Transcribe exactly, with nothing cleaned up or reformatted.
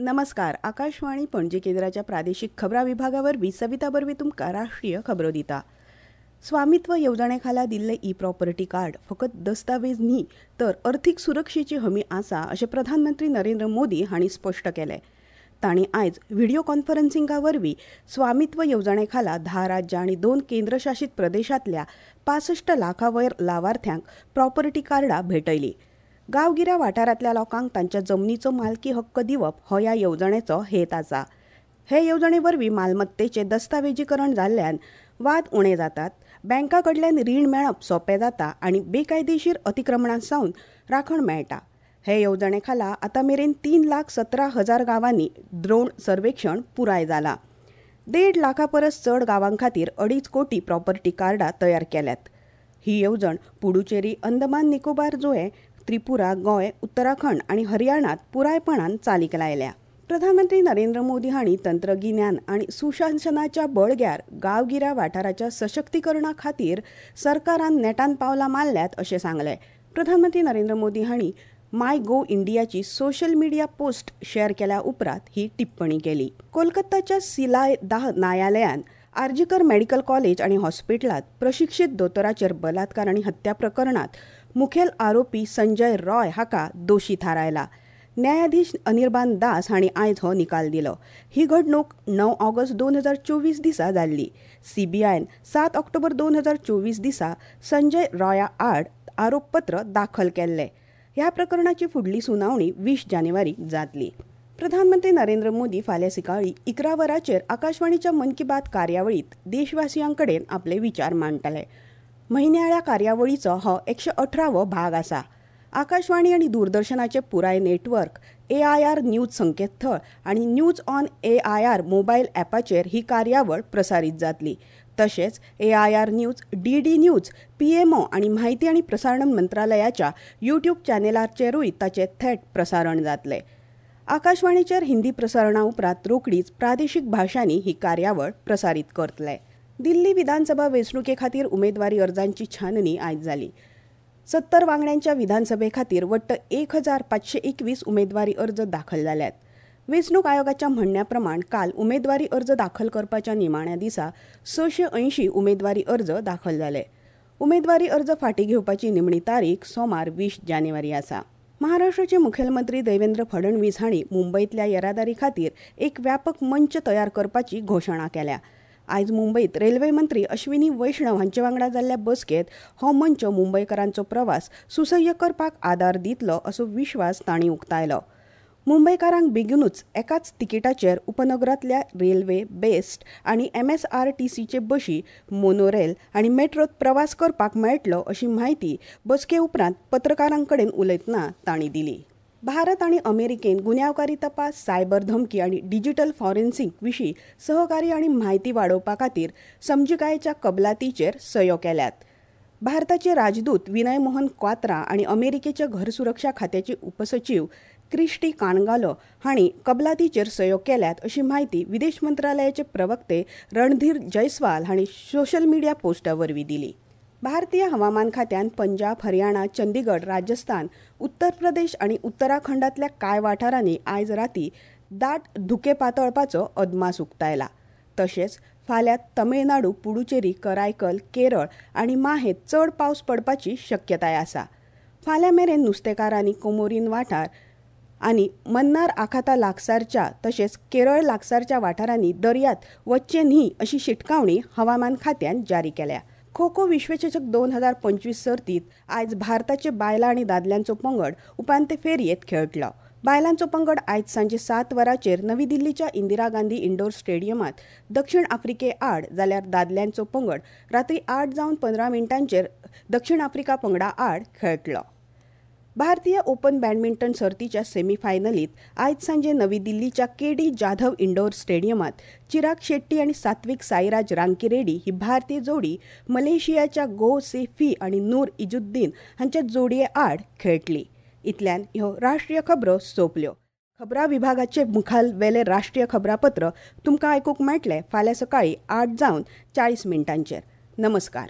नमस्कार. आकाशवाणी पणजी केंद्राच्या प्रादेशीक खबरां विभागा वरवीं सविता बर्वे तुमकां राष्ट्रीय खबरो दिता. स्वामित्व येवजणे खाला दिल्लें ई प्रॉपर्टी कार्ड फकत दस्तावेज न्ही तर अर्थीक सुरक्षेची हमी आसा अशें प्रधानमंत्री नरेंद्र मोदी हांणी स्पश्ट केलें. तांणी आयज व्हिडियो कॉन्फरन्सिंगा वरवीं स्वामित्व येवजणे खाला धा राज्यां आनी दोन केंद्रशासीत प्रदेशांतल्या पासश्ट लाखां वयर लावार्थ्यांक प्रॉपर्टी कार्डां भेटयलीं. गांवगिऱ्या वाठारांतल्या लोकांक तांच्या जमनीचो मालकी हक्क दिवप हो ह्या येवजणेचो हेत आसा. हे येवजणे वरवीं मालमत्तेचें दस्तावेजीकरण जाल्ल्यान वाद उणे जातात, बँका कडल्यान रीण मेळप सोंपें जाता आनी बेकायदेशीर अतिक्रमणां सावन राखण मेळटा. हे येवजणे खाला आतां मेरेन तीन लाख सतरा हजार गांवांनी द्रोण सर्वेक्षण पुराय जालां. देड लाखां परस चड गांवां खातीर अडीच कोटी प्रॉपर्टी कार्डां तयार केल्यात. ही येवजण पुडुचेरी, अंदमान निकोबार जुंवे, त्रिपुरा, गोंय, उत्तराखंड आनी हरियाणांत पुरायपणान चालीक लायल्या. प्रधानमंत्री नरेंद्र मोदी हांणी तंत्रगिन्यान आनी सुशासनाच्या बळग्यार गांवगिऱ्या वाठाराच्या सशक्तीकरणा खातीर सरकारान नेटान पावलां मारल्यात अशें सांगलें. प्रधानमंत्री नरेंद्र मोदी हांणी माय गो इंडियाची सोशल मिडिया पोस्ट शेअर केल्या उपरांत ही टिप्पणी केली. कोलकाताच्या सिलायदाह न्यायालयान आरजीकर मेडिकल कॉलेज आनी हॉस्पिटलांत प्रशिक्षीत दोतोराचेर बलात्कार आनी हत्या प्रकरणांत मुखेल आरोपी संजय रॉय हाका दोशी थारायला. न्यायाधीश अनिर्बान दास हांणी आयज हो निकाल दिलो. ही घडणूक णव ऑगस्ट दोन हजार चोवीस दिसा जाल्ली. सीबीआयन सात ऑक्टोबर दोन हजार चोवीस दिसा संजय रॉया आड आरोपपत्र दाखल केल्लें. ह्या प्रकरणाची फुडली सुनावणी वीस जानेवारीक जातली. प्रधानमंत्री नरेंद्र मोदी फाल्यां सकाळीं इकरा वरांचेर आकाशवाणीच्या मन की बात कार्यावळींत देशवासियां कडेन आपले विचार मांडटले. म्हयन्याळ्या कार्यावळीचो हो एकशे अठरावो भाग आसा. आकाशवाणी आनी दूरदर्शनाचें पुराय network, A I R news संकेतथळ आनी news on A I R mobile ॲपाचेर ही कार्यावळ प्रसारीत जातली. तशेंच A I R news, D D news, P M O आनी म्हायती आनी प्रसारण मंत्रालयाच्या यूट्यूब चॅनेलाचेरूय ताचें थेट प्रसारण जातलें. आकाशवाणीचेर हिंदी प्रसारणा उपरांत रोखडीच प्रादेशीक भाशांनी ही कार्यावळ प्रसारीत करतले. दिल्ली विधानसभा वेंचणुके खातीर उमेदवारी अर्जांची छाननी आयज जाली. सत्तर वांगड्यांच्या विधानसभे खातीर वट्ट एक हजार पांचशे एकवीस उमेदवारी अर्ज दाखल जाल्यात. वेंचणूक आयोगाच्या म्हणण्या प्रमाण काल उमेदवारी अर्ज दाखल करपाच्या निमाण्या दिसा सशे अंयशीं उमेदवारी अर्ज दाखल जाले. उमेदवारी अर्ज फाटीं घेवपाची निमणी तारीख सोमार वीस जानेवारी आसा. महाराष्ट्राचे मुखेलमंत्री देवेंद्र फडणवीस हांणी मुंबयतल्या येरादारी खातीर एक व्यापक मंच तयार करपाची घोशणा केल्या. आयज मुंबयत रेल्वे मंत्री अश्विनी वैष्णव हांचे वांगडा जाल्ल्या बसकेंत हो मंच मुंबयकारांचो प्रवास सुसह्य करपाक आदार दितलो असो विश्वास तांणी उक्तायलो. मुंबयकारांक बेगीनूच एकाच तिकिटाचेर उपनगरांतल्या रेल्वे, बेस्ट आनी एम एस आर टी सीचे बशी, मोनोरेल आनी मेट्रोत प्रवास करपाक मेळटलो अशी म्हायती बसके उपरांत पत्रकारां कडेन उलयतना तांणी दिली. भारत आनी अमेरिकेन गुन्यांवकारी तपास, सायबर धमकी आनी डिजिटल फॉरेन्सिक विशीं सहकार्य आनी म्हायती वाडोवपा खातीर समजिकायेच्या कबलातीचेर सयो केल्यात. भारताचे राजदूत विनय मोहन क्वात्रा आनी अमेरिकेच्या घर सुरक्षा खात्याचे उपसचीव क्रिस्टी काणगालो हांणी कबलातीचेर सयो केल्यात अशी म्हायती विदेश मंत्रालयाचे प्रवक्ते रणधीर जयस्वाल हांणी सोशल मिडिया पोस्टा वरवीं दिली. भारतीय हवामान खात्यान पंजाब, हरियाणा, चंदीगड, राजस्थान, उत्तर प्रदेश आनी उत्तराखंडांतल्या कांय वाठारांनी आयज राती दाट धुकें पातळपाचो अदमास उक्तायला. तशेंच फाल्यां तमिळनाडू, पुडुचेरी, करायकल, केरळ आनी माहेत चड पावस पडपाची शक्यताय आसा. फाल्यां मेरेन नुस्तेकारांनी कोमोरीन वाठार आनी मन्नार आखाता लागसारच्या तशेंच केरळ लागसारच्या वाठारांनी दर्यांत वच्चें न्ही अशी शिटकावणी हवामान खात्यान जारी केल्या. खो खो विश्वचषक दोन हजार पंचवीस सर्तीत आयज भारताचे बायलां आनी दादल्यांचो पंगड उपांत्य फेरयेंत खेळटलो. बायलांचो पंगड आयज सांजे सात वरांचेर नवी दिल्लीच्या इंदिरा गांधी इंडोर स्टेडियमांत दक्षिण आफ्रिके आड, जाल्यार दादल्यांचो पंगड रात्री आठ जावन पंदरा मिनटांचेर दक्षिण आफ्रिका पंगडा आड खेळटलो. भारतीय ओपन बॅडमिंटन सर्तीच्या सेमीफायनलीत आयज सांजे नवी दिल्लीच्या के डी जाधव इंडोर स्टेडियमांत चिराग शेट्टी आनी सात्विक साईराज रांकीरेड्डी ही भारतीय जोडी मलेशियाच्या गो से फी आनी नूर इजुद्दीन हांच्या जोडये आड खेळटली. इतल्यान ह्यो राष्ट्रीय खबरो सोंपल्यो. खबरां विभागाचे मुखाल वेले राष्ट्रीय खबरापत्र तुमकां आयकूंक मेळटलें फाल्यां सकाळीं आठ जावन चाळीस मिनटांचेर. नमस्कार.